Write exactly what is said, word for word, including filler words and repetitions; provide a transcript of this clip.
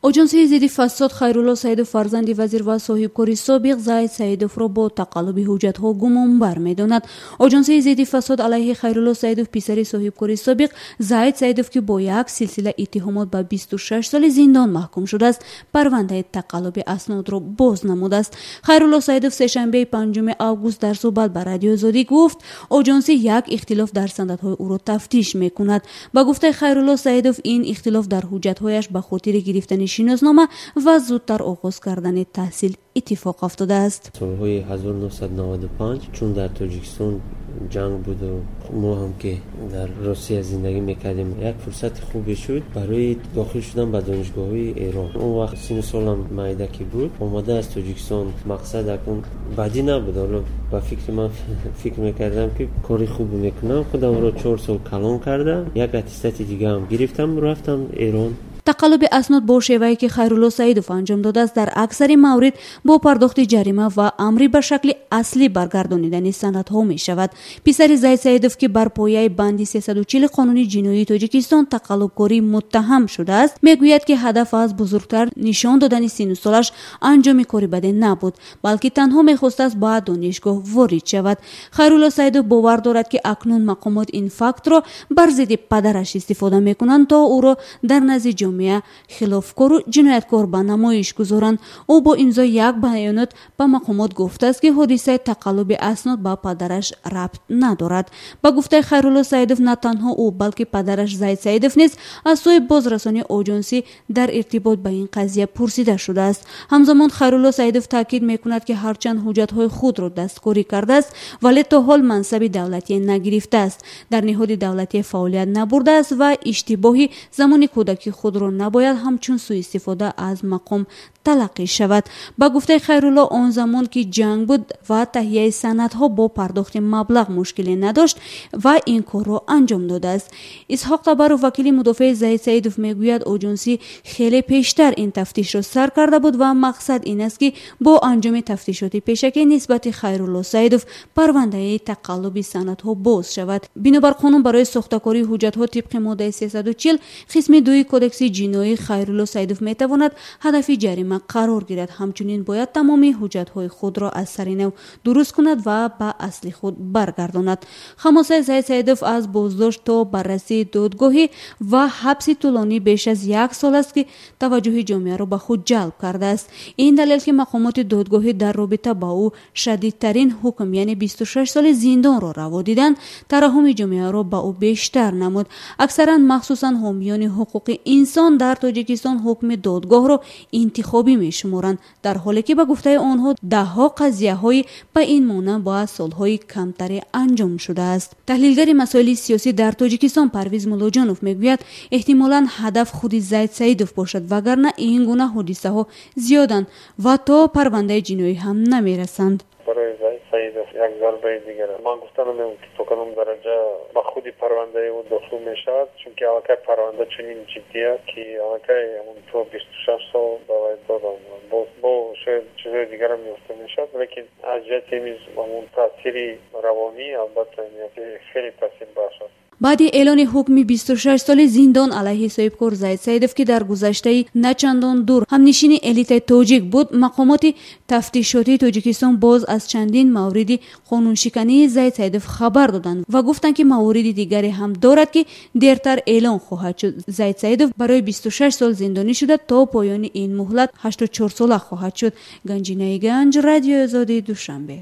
Оҷонсии зидди фасод Хайрулло Саидов, фарзанди вазир ва соҳибкори собиқ Зайд Саидовро бо тақаллуби ҳуҷҷатҳо гумонбар медонад. Оҷонсии зидди фасод алайҳи Хайрулло Саидов, писари соҳибкори собиқ Зайд Саидов, ки бо як силсила иттиҳомот ба бисту шаш соли зиндон маҳкум шудааст, парвандаи тақаллуби аснодро боз намудааст. Хайрулло Саидов сешанбеи панҷуми август дар суҳбат ба Радиои Озодӣ гуфт, оҷонсӣ як ихтилоф дар санадҳои ӯро тафтиш мекунад. Ба гуфтаи Хайрулло Саидов, ин ихтилоф дар ҳуҷҷатҳояш ба хотири гирифтани шиноснома ва зудтар оғоз кардани таҳсил иттифоқ афтодааст. Солҳои ҳазору нӯҳсаду наваду панҷ, чун дар Тоҷикистон ҷанг буду мо ҳам ки дар Русия зиндагӣ мекардем, як фурсати хубе шуд барои дохил шудан ба донишгоҳҳои Эрон. Он вақт сину солам майда ки буд, омада аз Тоҷикистон, мақсад акун бадӣ набуд. Ҳоло ба фикри ман фикр мекардам, ки кори хуб мекунам. Худамро чор сол калон кардам, як аттестати дигаам гирифтам, рафтам Эрон. Тақаллуби аснод бо шевае, ки Хайрулло Саидов анҷом додааст, дар аксари маврид бо пардохти ҷарима ва амри ба шакли аслӣ баргардонидани санадҳо мешавад. Писари Зайд Саидов, ки бар пояи банди сесаду чил қонуни ҷиноии Тоҷикистон тақаллубкорӣ муттаҳам шудааст, мегӯяд, ки ҳадаф аз бузургтар нишон додани сину солаш анҷоми кори баде набуд, балки танҳо мехостааст ба донишгоҳ ворид шавад. Хайрулло Саидов бовар дорад, ки акнун мақомот ин фактро бар зидди падараш истифода мекунанд, то ӯро дар назди ҷомеа хилофкору ҷинояткор ба намоиш гузоранд. Ӯ бо имзои як баёнот ба мақомот гуфтааст, ки ҳодисаи тақаллуби аснод ба падараш рабт надорад. Ба гуфтаи Хайрулло Саидов, на танҳо ӯ, балки падараш Зайд Саидов низ аз сӯи бозрасони оҷонсӣ дар иртибот ба ин қазия пурсида шудааст. Ҳамзамон Хайрулло Саидов таъкид мекунад, ки ҳарчанд ҳуҷҷатҳои худро дасткорӣ кардааст, вале то ҳол мансаби давлатӣ нагирифтааст, дар ниҳоди давлатӣ фаъолият набурдааст ва иштибоҳи замони кӯдакии худро набояд ҳамчун суистифода аз мақом талаққӣ шавад. Ба гуфтаи Хайрулло, он замон ки ҷанг буд ва таҳияи санадҳо бо пардохти маблағ мушкиле надошт ва ин корро анҷом додааст. Исҳоқ Табаров, вакили мудофеи Зайд Саидов, мегӯяд, оҷонсӣ хеле пештар ин тафтишро сар карда буд ва мақсад ин аст, ки бо анҷоми тафтишоти пешакӣ нисбати Хайрулло Саидов парвандаи тақаллуби санадҳо боз шавад. Бинобар қонун барои сохтакории ҳуҷҷатҳо тибқи моддаи сесаду чил қисми дуи кодекси ҷиноии Хайрулло Саидов метавонад ҳадафи ҷарима қарор гирад. Ҳамчунин бояд тамоми ҳуҷҷатҳои худро аз сари нав дуруст кунад ва ба асли худ баргардонад. Хамосаи Зайд Саидов аз боздошт то баррасии додгоҳӣ ва ҳабси тӯлонӣ беш аз як сол аст, ки таваҷҷӯҳи ҷомеаро ба худ ҷалб кардааст. Ин далел, ки мақомоти додгоҳӣ дар робита ба ӯ шадидтарин ҳукм, яъне бисту шаш соли зиндонро раво диданд, тараҳуми ҷомеаро ба ӯ бештар намуд. Аксаран, махсусан ҳомиёни ҳуқуқи инсон дар Тоҷикистон ҳукми додгоҳро интихобӣ мешуморанд, дар ҳоле ки ба гуфтаи онҳо даҳҳо қазияҳои ба ин монанд ба солҳои камтаре анҷом шудааст. Таҳлилгари масоили сиёсӣ дар Тоҷикистон Парвиз Муллоҷонов мегӯяд, эҳтимолан ҳадаф худи Зайд Саидов бошад, вагарна ин гуна ҳодисаҳо зиёданд ва то парвандаи ҷиноӣ ҳам намерасанд. Барои Зайд Саидов як зарбаи дигар. Ман гуфта намемонам, ки то кадом дараҷа ба худи парвандаи ӯ дохил мешавад, чунки аллакай парванда чунин ҷиддӣ аст, ки аллакай ҳамон то бисту шаш сол ба вай доданд. Боз бо шояд чизҳои дигарам ёфта мешавад, лекин аз ҷиҳати ҳамон таъсири равонӣ албатта хеле таъсирбахш аст. Баъди эълони ҳукми бисту шаш соли зиндон алайҳи соҳибкор Зайд Саидов, ки дар гузаштаи начандон дур ҳамнишини элитаи тоҷик буд, мақомоти тафтишотии Тоҷикистон боз аз чандин мавриди қонуншикании Зайд Саидов хабар доданд ва гуфтанд, ки мавориди дигаре ҳам дорад, ки дертар эълон хоҳад шуд. Зайд Саидов барои бисту шаш сол зиндонӣ шуда, то поёни ин муҳлат ҳаштоду чор сола хоҳад шуд. Ганҷинаи Ганҷ, Радиои Озодӣ, Душанбе.